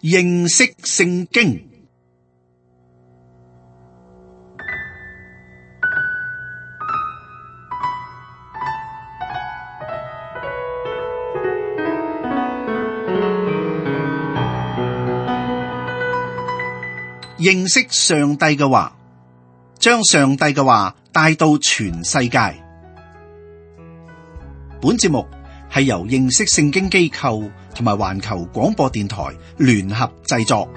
認識聖經。認識上帝嘅話，將上帝嘅話帶到全世界。本節目係由認識聖經機構同埋環球廣播電台聯合製作。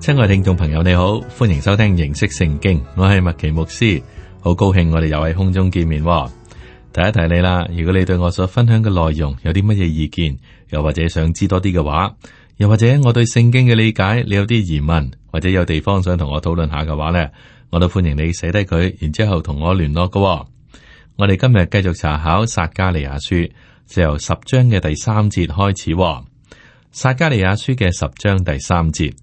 親愛聽眾朋友，你好，歡迎收聽認識聖經，我係麥奇牧師。好高興我哋又喺空中見面。提一提你啦，如果你對我所分享嘅內容有啲乜嘢意見，又或者想知多啲嘅話，又或者我對聖經嘅理解你有啲疑問，或者有地方想同我討論下嘅話呢，我都歡迎你寫低佢，然之後同我聯絡嘅。我哋今日繼續查考撒迦利亞書，就由10章嘅第3節開始。撒迦利亞書嘅10章第3節，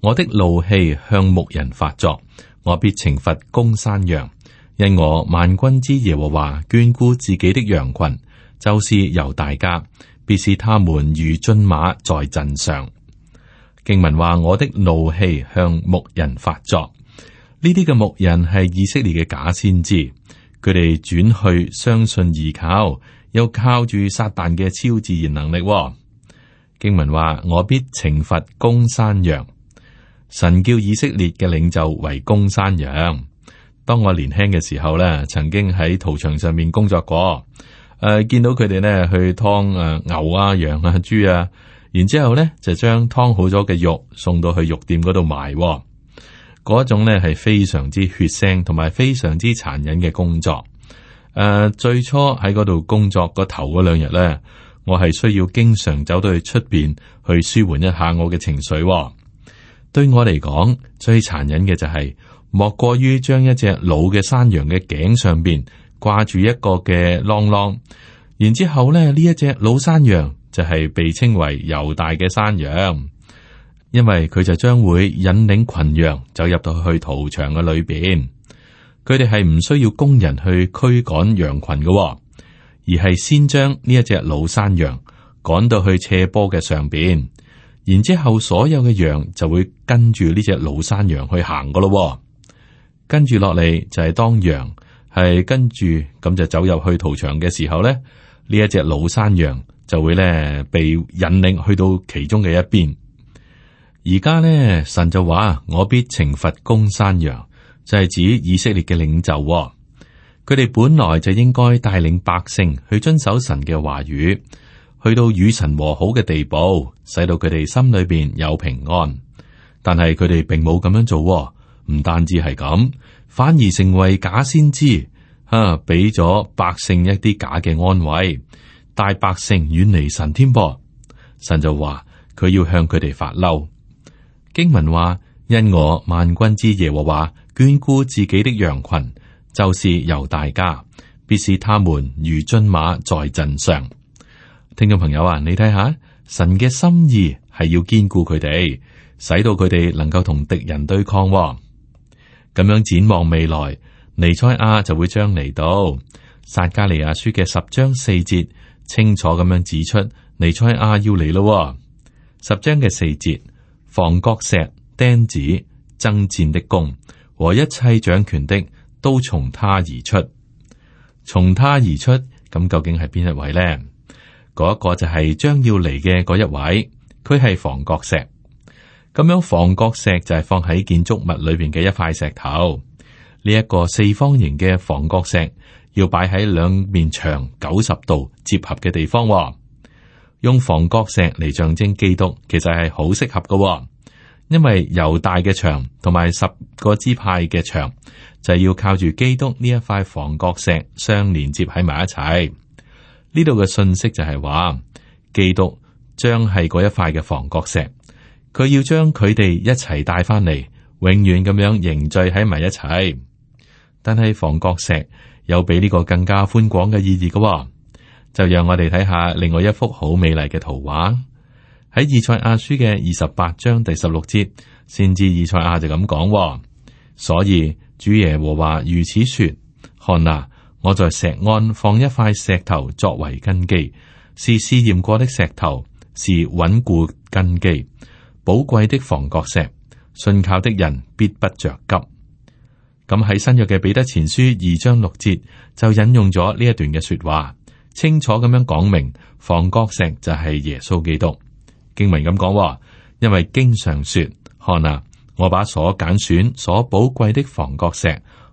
我的怒氣向牧人發作，我必懲罰公山羊。因我萬軍之耶和華眷顧自己的羊群，就是猶大家，必使他們如駿馬在陣上。經文話，我的怒氣向牧人發作。呢啲嘅牧人係以色列嘅假先知，佢哋轉去相信依靠，又靠住撒旦嘅超自然能力。經文話，我必懲罰公山羊。神叫以色列嘅領袖為公山羊。當我年輕嘅時候咧，曾經喺屠場上面工作過，見到佢哋咧去劏牛啊、羊啊、豬啊，然之後咧就將劏好咗嘅肉送到去肉店嗰度賣，嗰種咧係非常之血腥同埋非常之殘忍嘅工作。最初喺嗰度工作個頭嗰2日咧，我係需要經常走到去出邊去舒緩一下我嘅情緒。對我嚟講，最殘忍嘅就係莫過於將一隻老嘅山羊嘅頸上邊掛住一個嘅啷啷，然之後咧呢一隻老山羊就係被稱為猶大嘅山羊，因為佢就將會引領群羊走入到去屠場嘅裏邊。佢哋係唔需要工人去驅趕羊群嘅，而係先將呢一隻老山羊趕到去斜坡嘅上邊，然之後所有嘅羊就會跟住呢隻老山羊去行噶咯。跟住落嚟就係當羊係跟住咁就走入去屠場嘅時候咧，呢一隻老山羊就會咧被引領去到其中嘅一邊。而家咧神就話，我必懲罰公山羊，就係指以色列嘅領袖。佢哋本來就應該帶領百姓去遵守神嘅話語，去到與神和好嘅地步，使到佢哋心裏邊有平安。但係佢哋並冇咁樣做。唔單止係咁，反而成為假先知，俾咗百姓一啲假嘅安慰，帶百姓遠離神添噃。神就話佢要向佢哋發嬲。經文話，因我萬軍之耶和華眷顧自己的羊群，就是猶大家，必使他們如駿馬在陣上。聽眾朋友啊，你睇下，神嘅心意係要堅固佢哋，使到佢哋能夠同敵人對抗。咁樣展望未來，彌賽亞就會將嚟到。撒迦利亞書嘅10章4節清楚咁樣指出，彌賽亞要嚟咯。10章嘅4節，房角石、釘子、爭戰的弓和一切掌權的都從他而出。從他而出，咁究竟係邊一位呢？嗰一個就係將要嚟嘅嗰一位，佢係房角石。咁樣房角石就係放喺建築物裏邊嘅一塊石頭。呢一個四方形嘅房角石要擺喺兩面牆90度接合嘅地方。用房角石嚟象徵基督，其實係好適合嘅，因為猶大嘅牆同埋10個支派嘅牆就係要靠住基督呢一塊房角石相連接喺埋一齊。呢度嘅信息就係話，基督將係嗰一塊嘅房角石。佢要將佢哋一齊帶翻嚟，永遠咁樣凝聚喺埋一齊。但係房角石有比呢個更加寬廣嘅意義嘅，就讓我哋睇下另外一幅好美麗嘅圖畫。喺以賽亞書嘅28章第16節，先知以賽亞就咁講：所以主耶和華如此說：看哪，我在錫安放一塊石頭作為根基，是試驗過的石頭，是穩固根基，寶貴的房角石，信靠的人必不着急。咁喺新約嘅彼得前書2章6節就引用咗呢一段嘅說話，清楚咁樣講明房角石就係耶穌基督。經文咁講，因為經常說：看啊，我把所揀選、所寶貴的房角石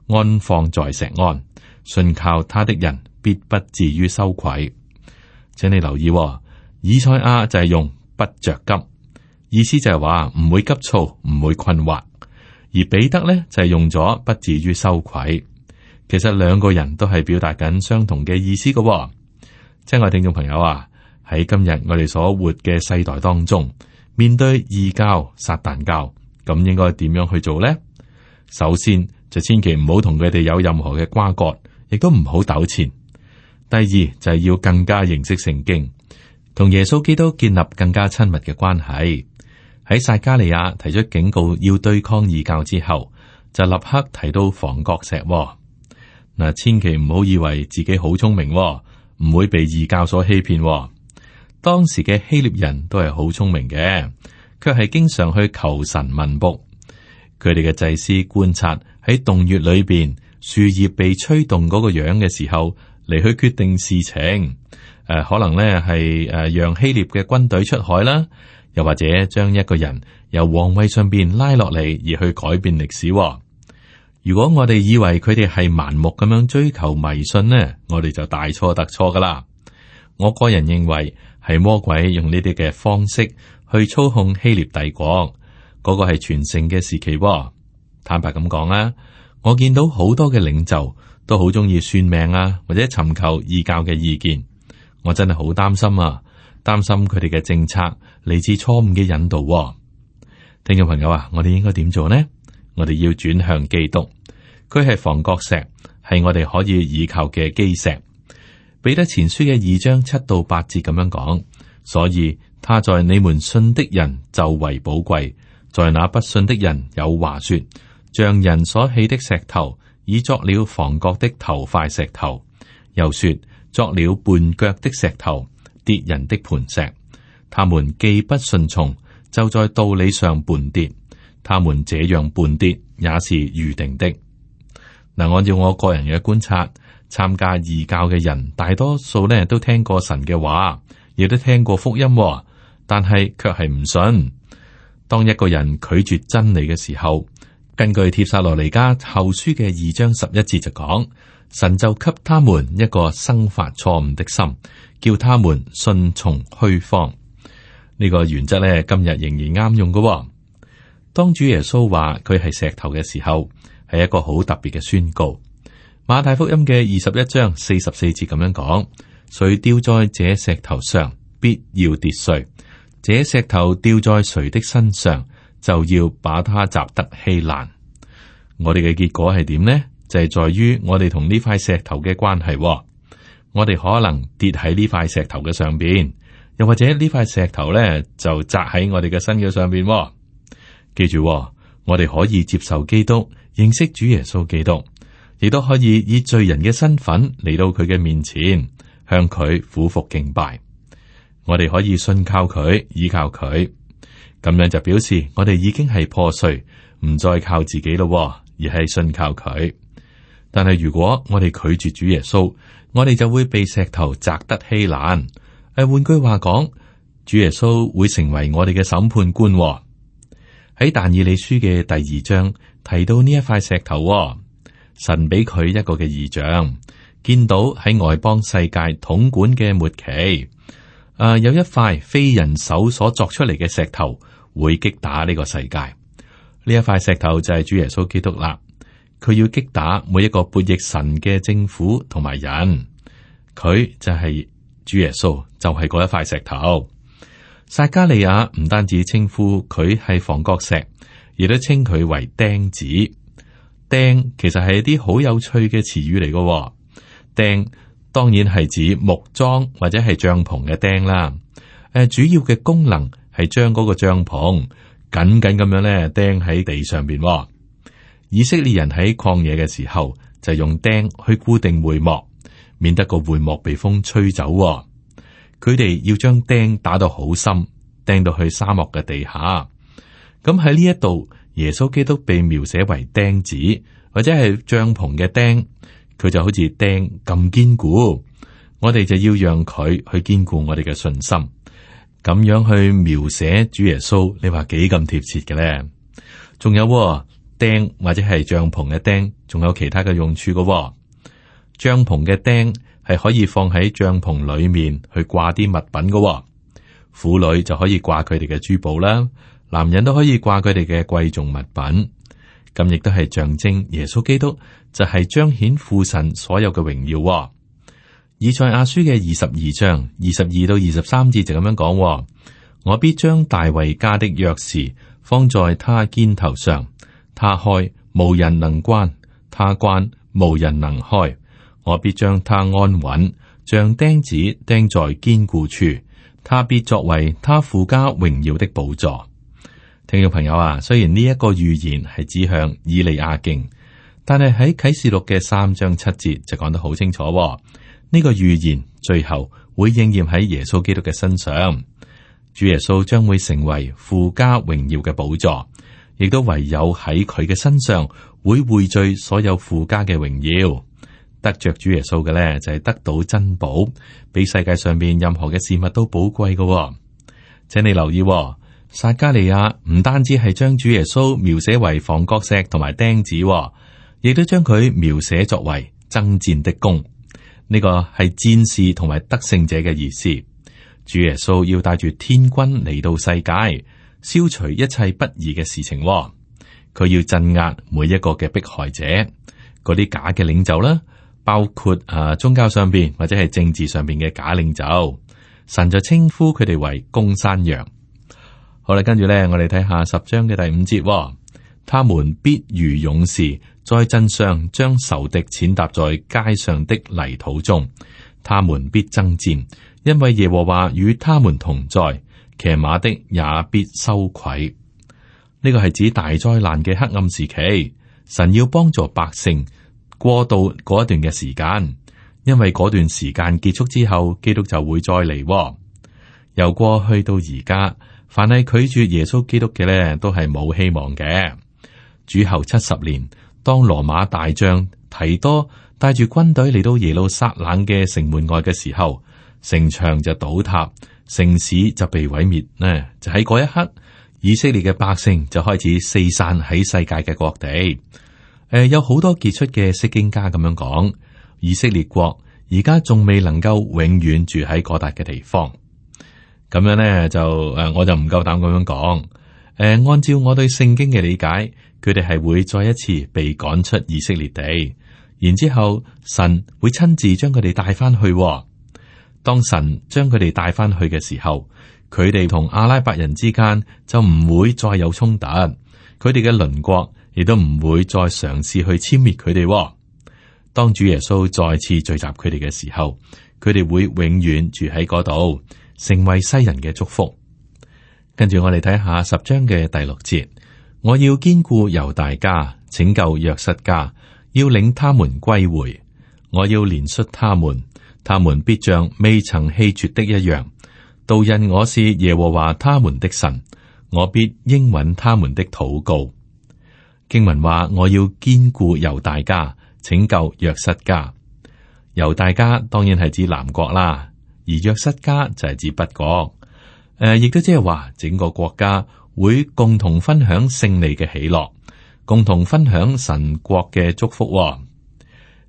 安放在錫安，信靠他的人必不至於羞愧。請你留意，以賽亞就係用不着急，意思就係話唔會急躁，唔會困惑。而彼得呢，就係用咗不至於羞愧。其實兩個人都係表達緊相同嘅意思嘅。親愛聽眾朋友啊，喺今日我哋所活嘅世代當中，面對異教、撒旦教，咁應該點樣去做呢？首先就千祈唔好同佢哋有任何嘅瓜葛，亦都唔好糾纏。第二就係要更加認識聖經，同耶穌基督建立更加親密嘅關係。喺撒迦利亞提出警告要對抗異教之後，就立刻提到房角石。嗱，千祈唔好以為自己好聰明，唔會被異教所欺騙。當時嘅希臘人都係好聰明嘅，卻係經常去求神問卜。佢哋嘅祭司觀察喺洞穴裏邊樹葉被吹動嗰個樣嘅時候，嚟去決定事情。可能咧係讓希臘嘅軍隊出海啦。又或者將一個人由皇位上邊拉落嚟，而去改變歷史。如果我哋以為佢哋係盲目咁樣追求迷信呢，我哋就大錯特錯噶啦。我個人認為係魔鬼用呢啲嘅方式去操控希臘帝國，嗰個係全盛嘅時期。坦白咁講啊，我見到好多嘅領袖都好中意算命啊，或者尋求異教嘅意見。我真係好擔心啊！擔心佢哋嘅政策嚟自錯誤嘅引導。聽眾朋友啊，我哋應該點做呢？我哋要轉向基督，佢係房角石，係我哋可以倚靠嘅基石。彼得前書嘅2章7到8節咁樣講，所以他在你們信的人就為寶貴，在那不信的人有話說，像人所棄的石頭，已作了房角的頭塊石頭，又說作了絆腳的石頭，跌人的磐石。他們既不順從，就在道理上絆跌。他們這樣絆跌，也是預定的。嗱，按照我個人嘅觀察，參加異教嘅人大多數呢都聽過神嘅話，亦都聽過福音，但係卻係唔信。當一個人拒絕真理嘅時候，根據帖撒羅尼迦後書嘅2章11節就講，神就給他們一個生發錯誤的心，叫他們順從虛謊。呢個原則咧，今日仍然啱用嘅。當主耶穌話佢係石頭嘅時候，係一個好特別嘅宣告。馬太福音嘅21章44節咁樣講：誰掉在這石頭上，必要跌碎；這石頭掉在誰的身上，就要把他砸得稀爛。我哋嘅結果係點呢？就係在於我哋同呢塊石頭嘅關係。我哋可能跌喺呢塊石頭嘅上邊，又或者呢塊石頭咧就砸喺我哋嘅身嘅上邊。記住，我哋可以接受基督，認識主耶穌基督，亦都可以以罪人嘅身份嚟到佢嘅面前，向佢俯伏敬拜。我哋可以信靠佢，依靠佢，咁樣就表示我哋已經係破碎，唔再靠自己咯，而係信靠佢。但係如果我哋拒絕主耶穌，我哋就會被石頭砸得稀爛。換句話講，主耶穌會成為我哋嘅審判官。喺但以理書嘅第2章提到呢一塊石頭，神俾佢一個嘅異象，見到喺外邦世界統管嘅末期，有一塊非人手所作出嚟嘅石頭會擊打呢個世界。呢一塊石頭就係主耶穌基督啦，佢要擊打每一個悖逆神嘅政府同埋人，佢就係主耶穌，就係嗰一塊石頭。撒迦利亞唔單止稱呼佢係房角石，亦都稱佢為釘子。釘其實係一啲好有趣嘅詞語嚟嘅。釘當然係指木樁或者係帳篷嘅釘啦。主要嘅功能係將嗰個帳篷緊緊咁樣咧釘喺地上邊。以色列人喺曠野嘅時候就用釘去固定會幕，免得個會幕被風吹走。佢哋要將釘打到好深，釘到去沙漠嘅地下。咁喺呢一度，耶穌基督被描寫為釘子或者係帳篷嘅釘，佢就好似釘咁堅固。我哋就要讓佢去堅固我哋嘅信心，咁樣去描寫主耶穌，你話幾咁貼切嘅咧？仲有釘或者係帳篷嘅釘，仲有其他嘅用處嘅。帳篷嘅釘係可以放喺帳篷裏面去掛啲物品嘅，婦女就可以掛佢哋嘅珠寶啦，男人都可以掛佢哋嘅貴重物品。咁亦都係象徵耶穌基督就係彰顯父神所有嘅榮耀。以賽亞書嘅22章22到23節就咁樣講：我必將大衛家的鑰匙放在他肩頭上，他開無人能關，他關無人能開。我必將他安穩，像釘子釘在堅固處，他必作為他父家榮耀的寶座。聽眾朋友啊，雖然呢一個預言係指向以利亞敬，但係喺啟示錄嘅3章7節就講得好清楚。呢個預言最後會應驗喺耶穌基督嘅身上，主耶穌將會成為父家榮耀嘅寶座，亦都唯有喺佢嘅身上會匯聚所有父家嘅榮耀。得着主耶穌嘅咧，就係得到珍寶，比世界上邊任何嘅事物都寶貴嘅。請你留意，撒迦利亞唔單止係將主耶穌描寫為房角石同埋釘子，亦都將佢描寫作為爭戰的弓。呢個係戰士同埋得勝者嘅意思。主耶穌要帶住天軍嚟到世界，消除一切不義嘅事情。佢要鎮壓每一個嘅迫害者，嗰啲假嘅領袖啦。包括宗教上邊或者係政治上邊嘅假領袖，神就稱呼佢哋為公山羊。好啦，跟住咧，我哋睇下10章嘅第5節，他們必如勇士，在陣上將仇敵踐踏在街上的泥土中，他們必爭戰，因為耶和華與他們同在，騎馬的也必羞愧。呢個係指大災難嘅黑暗時期，神要幫助百姓過渡嗰一段嘅時間，因為嗰段時間結束之後，基督就會再嚟。由過去到而家，凡係拒絕耶穌基督嘅咧，都係冇希望嘅。主後70年，當羅馬大將提多帶住軍隊嚟到耶路撒冷嘅城門外嘅時候，城牆就倒塌，城市就被毀滅呢。就喺嗰一刻，以色列嘅百姓就開始四散喺世界嘅各地。有好多傑出嘅釋經家咁樣講，以色列國而家仲未能夠永遠住喺嗰笪嘅地方。咁樣咧就我就唔夠膽咁樣講。按照我對聖經嘅理解，佢哋係會再一次被趕出以色列地，然之後神會親自將佢哋帶翻去。當神將佢哋帶翻去嘅時候，佢哋同阿拉伯人之間就唔會再有衝突，佢哋嘅鄰國亦都唔會再嘗試去殲滅佢哋。當主耶穌再次聚集佢哋嘅時候，佢哋會永遠住喺嗰度，成為世人嘅祝福。跟住我哋睇下10章嘅第6節，我要堅固猶大家，拯救約瑟家，要領他們歸回。我要憐恤他們，他們必像未曾棄絕的一樣。都因我是耶和華他們的神，我必應允他們的禱告。經文話，我要堅固猶大家，拯救約瑟家。猶大家當然係指南國啦，而約瑟家就係指北國。亦都即係話整個國家會共同分享勝利嘅喜樂，共同分享神國嘅祝福。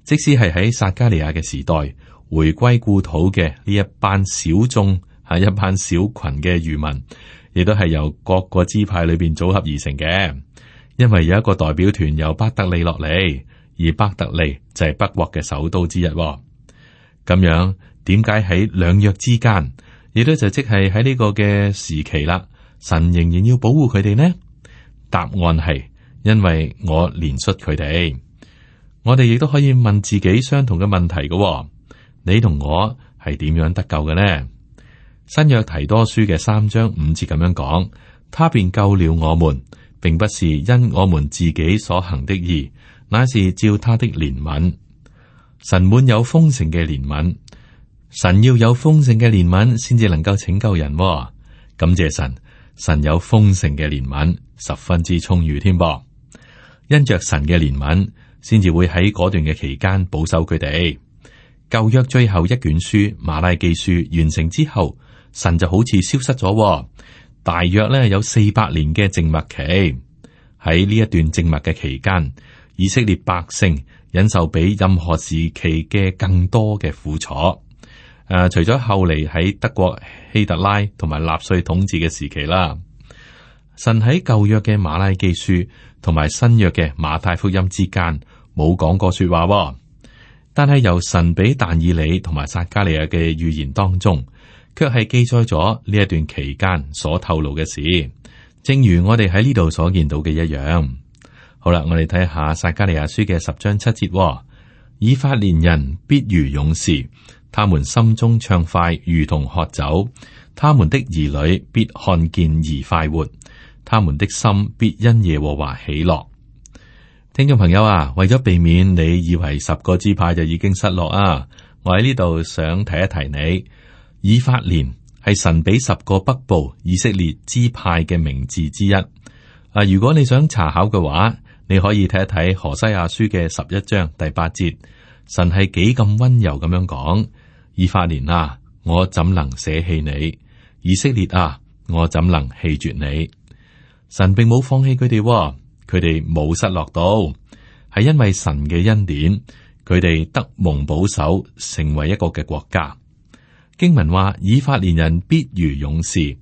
即使係喺撒迦利亞嘅時代，回歸故土嘅呢一班小眾，係一班小群嘅餘民，亦都係由各個支派裏邊組合而成嘅。因為有一個代表團由伯特利落嚟，而伯特利就係北國嘅首都之一。咁樣點解喺兩約之間，亦都就即係喺呢個嘅時期啦，神仍然要保護佢哋呢？答案係因為我憐恤佢哋。我哋亦都可以問自己相同嘅問題嘅。你同我係點樣得救嘅呢？新約提多書嘅3章5節咁樣講，他便救了我們，並不是因我們自己所行的義，乃是照他的憐憫。神滿有豐盛嘅憐憫，神要有豐盛嘅憐憫，先至能夠拯救人。感謝神，神有豐盛嘅憐憫，十分之充裕添噃。因着神嘅憐憫，先至會喺嗰段嘅期間保守佢哋。舊約最後一卷書馬拉基書完成之後，神就好似消失咗，大約咧有400年嘅靜默期。喺呢一段靜默嘅期間，以色列百姓忍受比任何時期嘅更多嘅苦楚。除咗後嚟喺德國希特拉同埋納粹統治嘅時期啦，神喺舊約嘅馬拉基書同埋新約嘅馬太福音之間冇講過說話，但係由神俾但以理同埋撒迦利亞嘅預言當中，卻係記載咗呢一段期間所透露嘅事，正如我哋喺呢度所見到嘅一樣。好啦，我哋睇下撒迦利亞書嘅10章7節，以法蓮人必如勇士，他們心中暢快，如同喝酒，他們的兒女必看見而快活，他們的心必因耶和華喜樂。聽眾朋友啊，為咗避免你以為10個支派就已經失落啊，我喺呢度想提一提你，以法蓮係神俾10個北部以色列支派嘅名字之一。如果你想查考嘅話，你可以睇一睇何西阿書嘅11章第8節，神係幾咁溫柔咁樣講：以法蓮啊，我怎能捨棄你？以色列啊，我怎能棄絕你？神並冇放棄佢哋，佢哋冇失落到，係因為神嘅恩典，佢哋得蒙保守，成為一個嘅國家。經文話：以法蓮人必如勇士。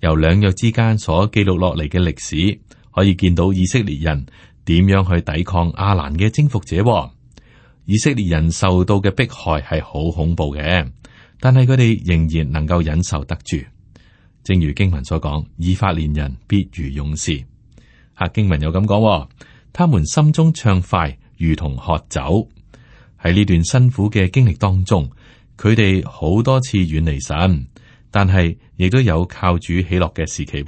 由兩約之間所記錄落嚟嘅歷史，可以見到以色列人點樣去抵抗亞蘭嘅征服者。以色列人受到嘅迫害係好恐怖嘅，但係佢哋仍然能夠忍受得住。正如經文所講，以法蓮人必如勇士。經文又咁講，他們心中暢快，如同喝酒。喺呢段辛苦嘅經歷當中，佢哋好多次遠離神，但係亦都有靠主喜樂嘅時期。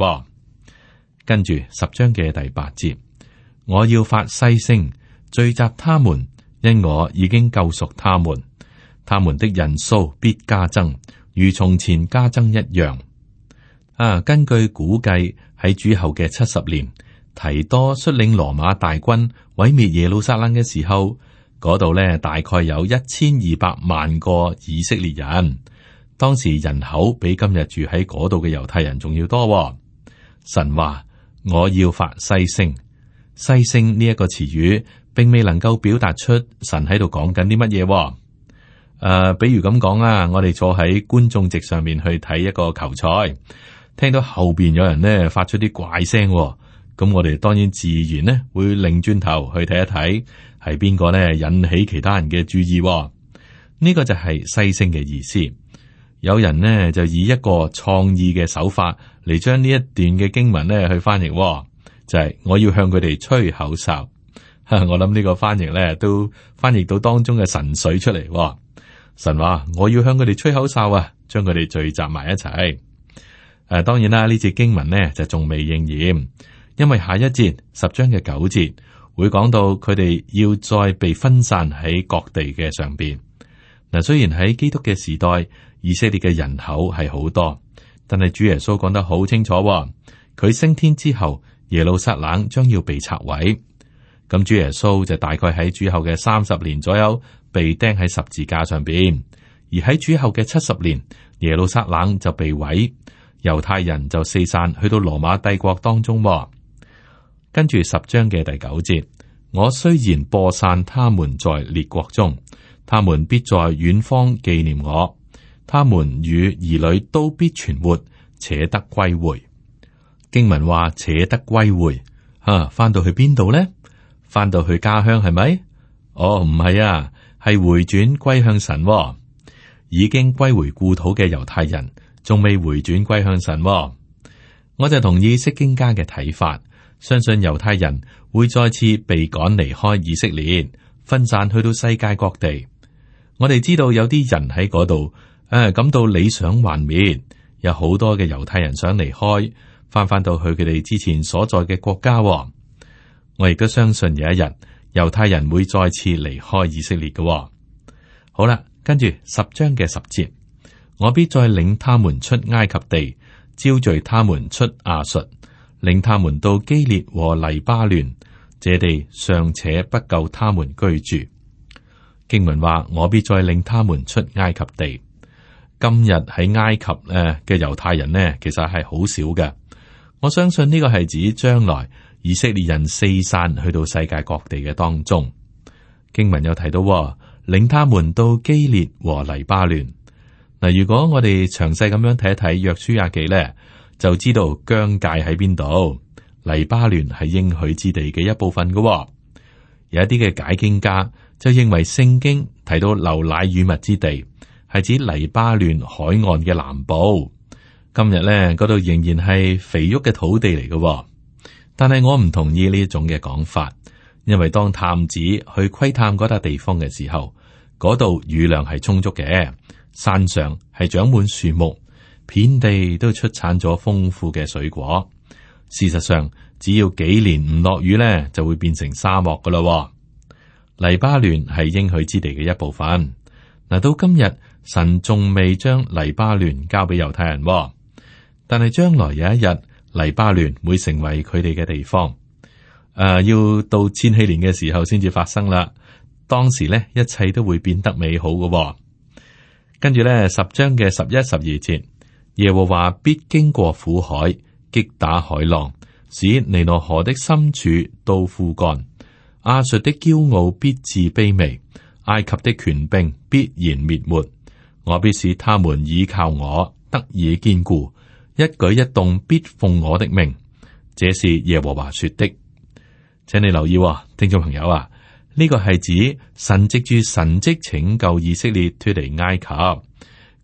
跟住10章嘅第8節，我要發嘶聲聚集他們，因我已經救贖他們，他們的人數必加增，如從前加增一樣。根據估計喺主後嘅70年，提多率領羅馬大軍毀滅耶路撒冷嘅時候，嗰度呢大概有1200萬個以色列人。當時人口比今日住喺嗰度嘅猶太人仲要多。神話我要發嘶聲，嘶聲呢一個詞語，並未能夠表達出神喺度講緊啲乜嘢。比如咁講啊，我哋坐喺觀眾席上面去睇一個球賽，聽到後邊有人呢發出啲怪聲，咁我哋當然自然呢會擰轉頭去睇一睇，係邊個呢引起其他人嘅注意。呢個就係嘶聲嘅意思。有人呢就以一個創意嘅手法嚟將呢一段嘅經文呢去翻譯，就係我要向佢哋吹口哨。我諗呢個翻譯呢都翻譯到當中嘅神髓出嚟。神話我要向佢哋吹口哨啊，將佢哋聚集埋一齊。當然啦，呢節經文呢就仲未應驗，因為下一節10章嘅9節會講到佢哋要再被分散喺各地嘅上邊。雖然喺基督嘅時代，以色列嘅人口係好多，但係主耶穌講得好清楚，佢升天之後，耶路撒冷將要被拆毀。咁主耶穌就大概喺主後嘅30年左右被釘喺十字架上邊，而喺主後嘅70年，耶路撒冷就被毀，猶太人就四散去到羅馬帝國當中。跟住10章嘅第9節，我雖然播散他們在列國中，他們必在遠方紀念我。他們與兒女都必存活，且得歸回。經文話且得歸回，翻到去邊度呢？翻到去家鄉係咪？唔係啊，係回轉歸向神。已經歸回故土嘅猶太人，仲未回轉歸向神。我就同意釋經家嘅睇法，相信猶太人會再次被趕離開以色列，分散去到世界各地。我哋知道有啲人喺嗰度。感到理想幻滅，有好多嘅猶太人想離開，翻到去佢哋之前所在嘅國家。我亦都相信有一日猶太人會再次離開以色列嘅。好啦，跟住10章嘅10節，我必再領他們出埃及地，招聚他們出亞述，領他們到基列和黎巴嫩，這地尚且不夠他們居住。經文話，我必再領他們出埃及地。今日喺埃及嘅猶太人呢，其實係好少嘅。我相信呢個係指將來以色列人四散去到世界各地嘅當中。經文有提到，領他們到基列和黎巴嫩。嗱，如果我哋詳細咁樣睇一睇約書亞記咧，就知道疆界喺邊度。黎巴嫩係應許之地嘅一部分嘅。有一啲嘅解經家就認為聖經提到流奶與蜜之地，係指黎巴嫩海岸嘅南部。今日咧，嗰度仍然係肥沃嘅土地嚟嘅。但係我唔同意呢一種嘅講法，因為當探子去窺探嗰笪地方嘅時候，嗰度雨量係充足嘅，山上係長滿樹木，遍地都出產咗豐富嘅水果。事實上，只要幾年唔落雨咧，就會變成沙漠噶啦。黎巴嫩係應許之地嘅一部分。嗱，到今日神仲未將黎巴嫩交俾猶太人，但係將來有一日，黎巴嫩會成為佢哋嘅地方。要到千禧年嘅時候先至發生啦。當時咧，一切都會變得美好嘅。跟住咧，10章嘅11、12節，耶和華必經過苦海，擊打海浪，使尼羅河的深處都枯乾。亞述的驕傲必致卑微，埃及的權柄必然滅沒。我必使他們倚靠我，得以堅固，一舉一動必奉我的命。這是耶和華說的。請你留意，聽眾朋友啊，呢個係指神藉住神蹟拯救以色列脫離埃及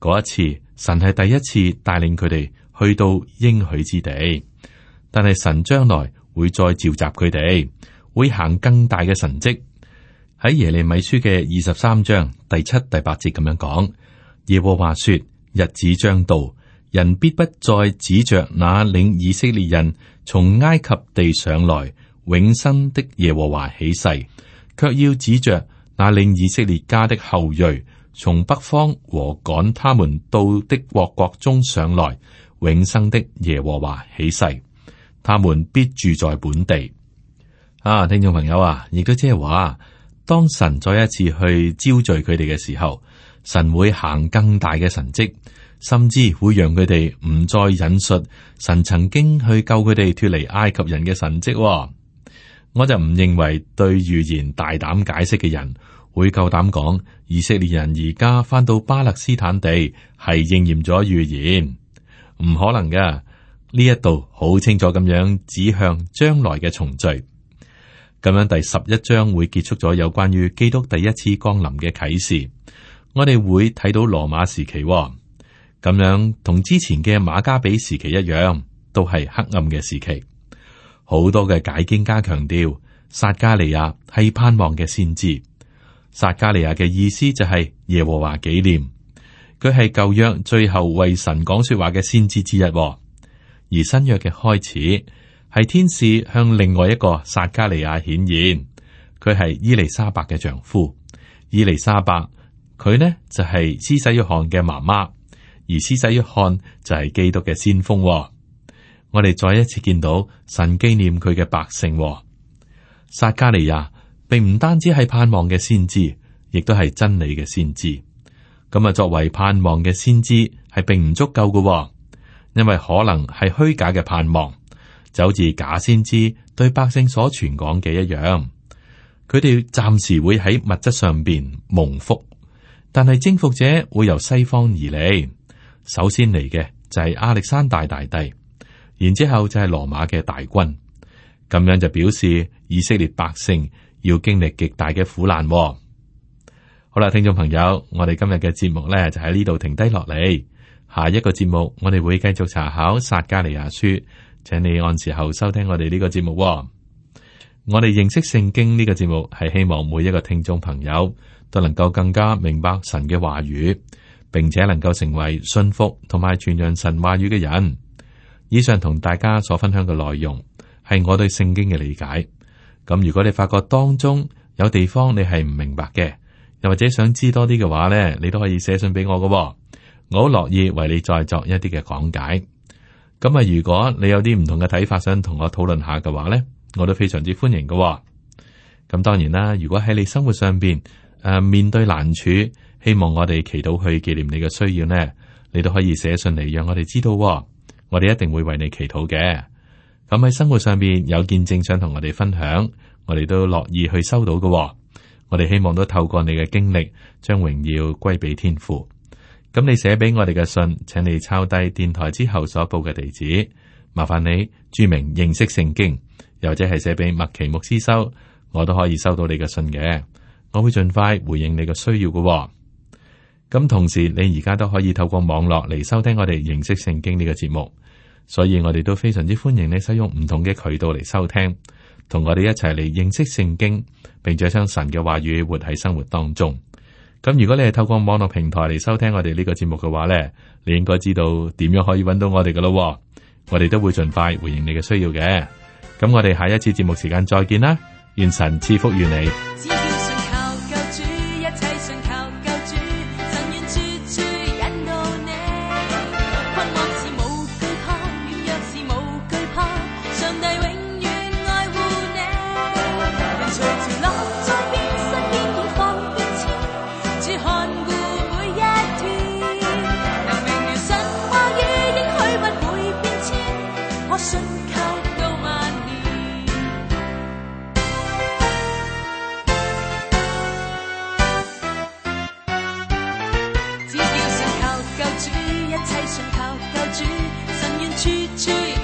嗰一次，神係第一次帶領佢哋去到應許之地，但係神將來會再召集佢哋，會行更大嘅神蹟。喺耶利米書嘅23章第7、第8節咁樣講，耶和華說：日子將到，人必不再指着那領以色列人從埃及地上來永生的耶和華起誓，卻要指着那領以色列家的後裔從北方和趕他們到的國中上來永生的耶和華起誓，他們必住在本地。聽眾朋友啊，亦都即係話，當神再一次去招聚佢哋嘅時候，神會行更大嘅神蹟，甚至會讓佢哋唔再引述神曾經去救佢哋脫離埃及人嘅神蹟。我就唔認為對預言大膽解釋嘅人會夠膽講以色列人而家翻到巴勒斯坦地係應驗咗預言，唔可能噶。呢一度好清楚咁樣指向將來嘅重聚。咁樣第11章會結束咗有關於基督第一次降臨嘅啟示。我哋會睇到羅馬時期，咁樣同之前嘅馬加比時期一樣，都係黑暗嘅時期。好多嘅解經家強調，撒迦利亞係盼望嘅先知。撒迦利亞嘅意思就係耶和華紀念，佢係舊約最後為神講說話嘅先知之一。而新約嘅開始係天使向另外一個撒迦利亞顯現，佢係伊麗莎白嘅丈夫。伊麗莎白佢呢就係施洗約翰嘅媽媽，而施洗約翰就係基督嘅先鋒。我哋再一次見到神紀念佢嘅百姓。撒迦利亞並唔單止係盼望嘅先知，亦都係真理嘅先知。咁啊，作為盼望嘅先知係並唔足夠嘅，因為可能係虛假嘅盼望，就好似假先知對百姓所傳講嘅一樣。佢哋暫時會喺物質上邊蒙福，但係征服者會由西方而嚟。首先嚟嘅就係亞歷山大大帝。然之後就係羅馬嘅大軍，咁樣就表示以色列百姓要經歷極大嘅苦難。好啦，聽眾朋友，我哋今日嘅節目呢就喺呢度停低落嚟。下一個節目我哋會繼續查考撒迦利亞書，請你按時候收聽我哋呢個節目。我哋認識聖經呢個節目係希望每一個聽眾朋友都能夠更加明白神嘅話語，並且能夠成為信服同埋傳揚神話語嘅人。以上同大家所分享嘅內容係我對聖經嘅理解。咁如果你發覺當中有地方你係唔明白嘅，又或者想知多啲嘅話呢，你都可以寫信俾我㗎喎。我好樂意為你再作一啲嘅講解。咁啊，如果你有啲唔同嘅睇法，想同我討論下嘅話呢，我都非常之歡迎㗎喎。咁當然啦，如果喺你生活上邊面對難處，希望我哋祈禱去紀念你嘅需要呢，你都可以寫信嚟讓我哋知道喎。我哋一定會為你祈禱嘅。咁喺生活上邊有見證想同我哋分享，我哋都樂意去收到㗎喎。我哋希望都透過你嘅經歷，將榮耀歸俾天父。咁你寫俾我哋嘅信，請你抄低電台之後所報嘅地址，麻煩你注明認識聖經，又或者係寫俾麥奇牧師收，我都可以收到你嘅信嘅。我會盡快回應你嘅需要㗎喎。咁同時，你而家都可以透過網絡嚟收聽我哋認識聖經呢個節目，所以我哋都非常之歡迎你使用唔同嘅渠道嚟收聽。同我哋一齊嚟認識聖經，並且將神嘅話語活喺生活當中。咁如果你係透過網絡平台嚟收聽我哋呢個節目嘅話呢，你應該知道點樣可以揾到我哋噶咯。我哋都會盡快回應你嘅需要嘅。咁我哋下一次節目時間再見啦，願神賜福於你。只要信靠救主，一切信靠救主，神願處處